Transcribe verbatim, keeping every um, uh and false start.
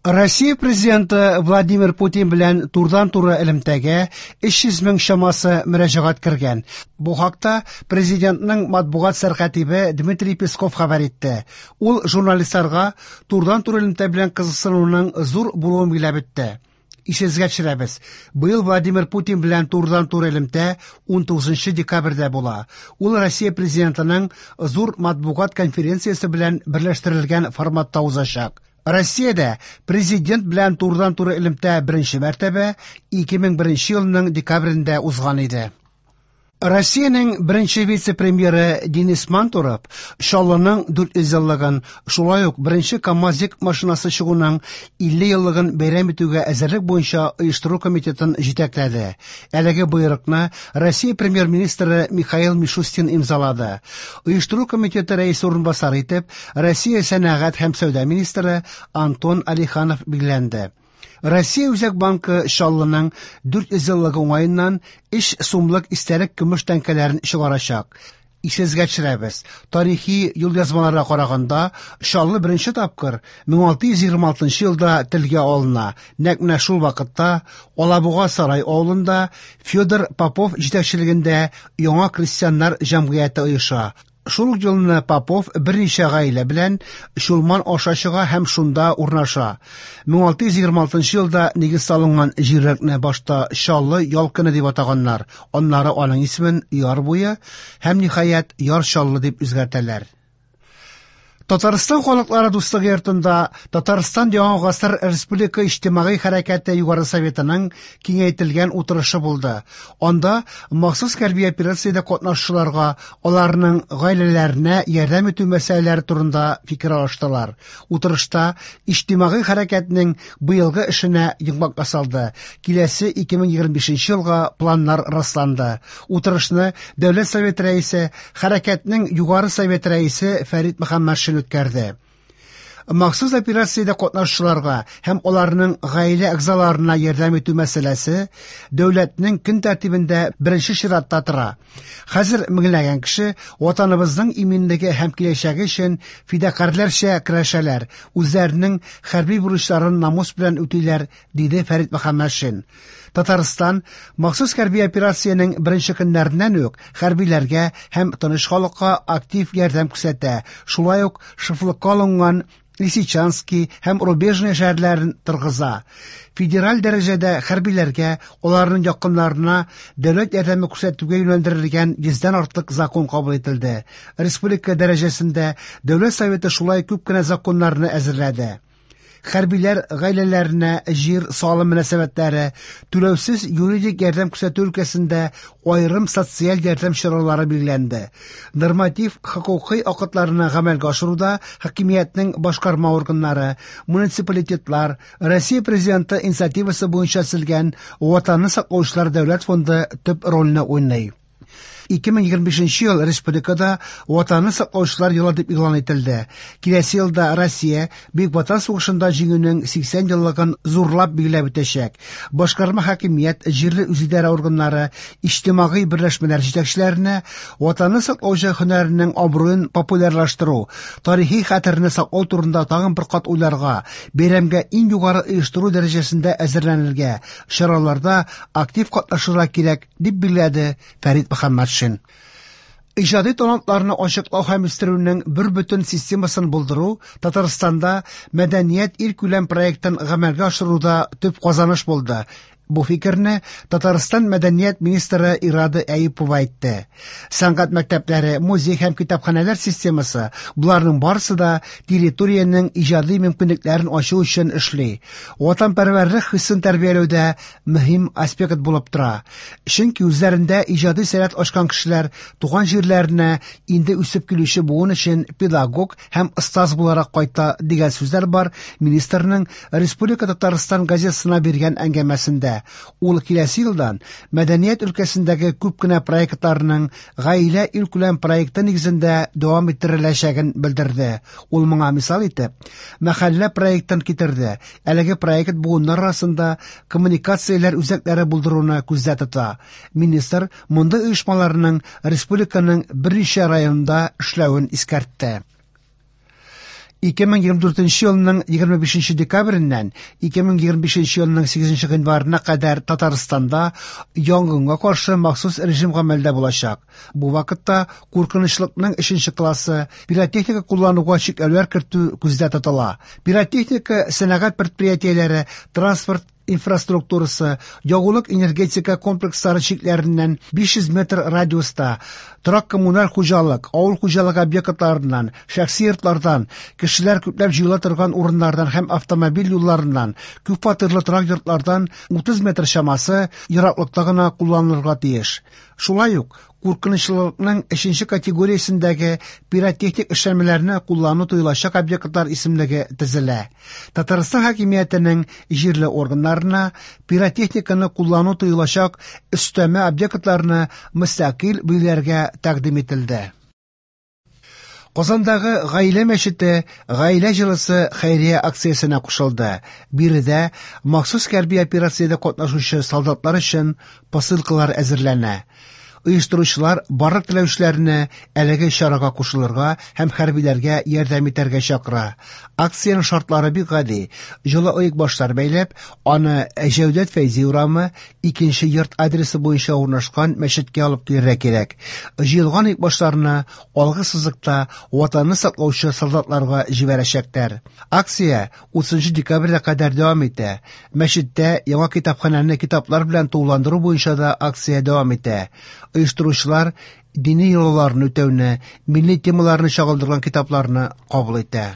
Россия президенты Владимир Путин белән турыдан-туры элемтәгә өч йөз мең чамасы мөрәҗәгать кергән. Бу хакта президентның матбугат сәркатибе Дмитрий Песков хәбәр итте. Ул журналистларга турыдан-туры элемтә белән кызыксынуның зур булуын билгеләп үтте. Исегезгә төшерәбез. Быел Владимир Путин белән турыдан-туры элемтә унтугызынчы декабрьдә була. Ул Россия президентының зур матбугат конференциясе белән берләштерелгән форматта узачак. Россиядә президент белән турыдан-туры элемтә беренче мәртәбә ике мең беренче елның декабрендә узган иде. Россиянең беренче вице-премьеры Денис Мантуров Чаллының дүрт йөз еллыгын, шулай ук беренче КАМАЗик машинасы чыгуның илле еллыгын бәйрәм итүгә әзерлек буенча оештыру комитетын җитәкләде. Әлеге боерыкны Россия премьер-министры Михаил Мишустин имзалады. Оештыру комитеты рәисе урынбасары итеп Россия сәнәгать һәм сәүдә министры Антон Алиханов билгеләнде. Россия Үзәк банкы Чаллының дүрт йөз еллыгы уңаеннан өч сумлык истәлек көмеш тәңкәләрен чыгарачак. Исегезгә төшерәбез. Тарихи юлъязмаларга караганда, Чаллы беренче тапкыр мең алты йөз егерме алтынчы елда телгә алына. Нәкъ менә шул вакытта Алабуга сарай авылында Федор Попов җитәкчелегендә яңа крестьяннар җәмгыяте оеша. Шул ук елны Попов берничә гаилә белән Чулман аша чыга һәм шунда урнаша. Мең алты йөз егерме алтынчы елда нигез салынган җирлекне башта Чаллы Ялкыны дип атаганнар. Аннары аның исемен Яр буе һәм ниһаять Яр Чаллы дип үзгәртәләр. Татарстан халыклары дуслыгы йортында Татарстан Яңа гасыр Республика иҗтимагый хәрәкәте Югары Советының киңәйтелгән утырышы булды. Анда махсус хәрби операциядә катнашучыларга, аларның гаиләләренә ярдәм итү мәсьәләләре турында фикер алыштылар. Утырышта иҗтимагый хәрәкәтнең быелгы эшенә йомгак ясалды. Киләсе ике мең егерме бишенче елга планнар расланды. Утырышны Дәүләт Советы рәисе, хәрәкәтнең Югары Советы рәисе Фәрит Мөхәммәтшин үткәрде. Махсус операциядә катнашучыларга һәм аларның гаилә әгъзаларына ярдәм итү мәсьәләсе дәүләтнең көн тәртибендә беренче чиратта тора. Хәзер меңләгән кеше ватаныбызның иминлеге һәм киләчәге өчен фидакарьләрчә көрәшәләр, үзләренең хәрби бурычларын намус белән үтиләр, диде Фәрит Мөхәммәтшин. Татарстан махсус хәрби операциянең беренче көннәреннән үк хәрбиләргә һәм тыныч халыкка актив ярдәм күрсәтә. Шулай ук шефлыкка алынган Лисичанский һәм Рубежный шәһәрләрен торгыза. Федераль дәрәҗәдә хәрбиләргә, аларның якыннарына дәүләт ярдәме күрсәтүгә юнәлдерелгән йөздән артык закон кабул ителде. Республика дәрәҗәсендә Дәүләт Советы шулай күп кенә законнарны әзерләде. Хәрбиләр гаиләләренә җир салым мөнәсәбәтләре, түләүсез юридик ярдәм күрсәтү өлкәсендә аерым социаль ярдәм чаралары билгеләнде. Норматив хокукый актларны гамәлгә ашыруда хакимиятнең башкарма органнары, муниципалитетлар, Россия президенты инициативасы буенча төзелгән Ватанны саклаучылар дәүләт фонды төп рольне уйный. Ике мең егерме бишенче ел республикада Ватанны саклаучылар елы дип игълан ителде. Киләсе елда Россия Бөек Ватан сугышында җиңүнең сиксән еллыгын зурлап билгеләп үтәчәк. Башкарма хакимият, җирле үзидарә органнары, иҗтимагый берләшмәләр җитәкчеләренә Ватанны саклаучы һөнәренең абруен популярлаштыру, тарихи хәтерне саклау турында тагын бер кат уйларга, бәйрәмгә иң югары оештыру дәрәҗәсендә әзерләнергә, чараларда актив катнашырга кирәк, дип билгеләде Фәрит Мөхәммәтшин. Иҗади талантларны ачыклау һәм үстерүнең бер бөтен системасын булдыру Татарстанда мәдәният илкүләм проектын гамәлгә ашыруда төп казаныш булды. Бу фикерне Татарстан мәдәният министры Ирада Әюпова әйтте. Сәнгать мәктәпләре, музей һәм китапханәләр системасы буларның барысы да территориянең иҗади мөмкинлекләрен ачу өчен эшли. Ватанпәрвәрлек хисен тәрбияләүдә мөһим аспект булып тора. Чөнки үзләрендә иҗади сәләт ачкан кешеләр туган җирләренә инде үсеп килүче буын өчен педагог һәм остаз буларак кайта дигән сүзләр бар министрның Республика Татарстан газетасына биргән әңгәмәсендә. Ул киләсе елдан мәдәният өлкәсендәге күп кенә проектларның гаилә илкүләм проекты нигезендә дәвам иттереләчәген белдерде. Ул моңа мисал итеп мәхәллә проектын китерде. Әлеге проект буыннар арасында коммуникацияләр үзәкләре булдыруны күздә тота. Министр мондый оешмаларның республиканың берничә районында эшләвен искәртте. ике мең егерме дүртенче елның егерме бишенче декабреннән ике мең егерме бишенче елның сигезенче гыйнварына кадәр Татарстанда янгынга каршы махсус режим гамәлдә булачак. Бу вакытта куркынычлыкның өченче классы пиротехника куллануга чикләүләр кертү күздә тотыла. Пиротехника сәнәгать предприятиеләре, транспорт инфраструктурасы, ягулык энергетика комплекслары чикләреннән биш йөз метр радиуста, торак коммуналь хуҗалык, авыл хуҗалыгы объектларыннан, шәхси йортлардан, кешеләр күпләп җыела торган урыннардан һәм автомобиль юлларыннан, күп фатирлы торак йортлардан утыз метр чамасы ераклыкта гына кулланылырга тиеш. Шулай ук куркынычлылыкның өченче категориясендәге пиротехник эшләнмәләрне куллану тыелачак объектлар исемлеге төзелә. Татарстан хакимиятенең җирле органнарына пиротехниканы куллану тыелачак өстәмә объектларны мөстәкыйль билгеләргә тәкъдим ителде. Казандагы Гаилә мәчете Гаилә җылысы хәйрия акциясенә кушылды. Биредә махсус хәрби операциядә катнашучы солдатлар өчен посылкалар әзерләнә. Оештыручылар барлык теләүчеләрне әлеге чарага кушылырга һәм хәрбиләргә ярдәм итәргә чакыра. Акциянең шартлары бик гади. Җылы оекбашлар бәйләп, аны Җәүдәт Фәйзи урамы икенче йорт адресы буенча урнашкан мәчеткә алып килергә кирәк. Җыелган оекбашларны алгы сызыкта ватанны саклаучы солдатларга җибәрәчәкләр. Акция утызынчы декабрьгә кадәр дәвам итә. Мәчеттә яңа китапханәне китаплар белән тулыландыру буенча да акция дәвам итә. Оештыручылар дини йолаларны үтәүне, милли темаларны чагылдырган китапларны кабул итә.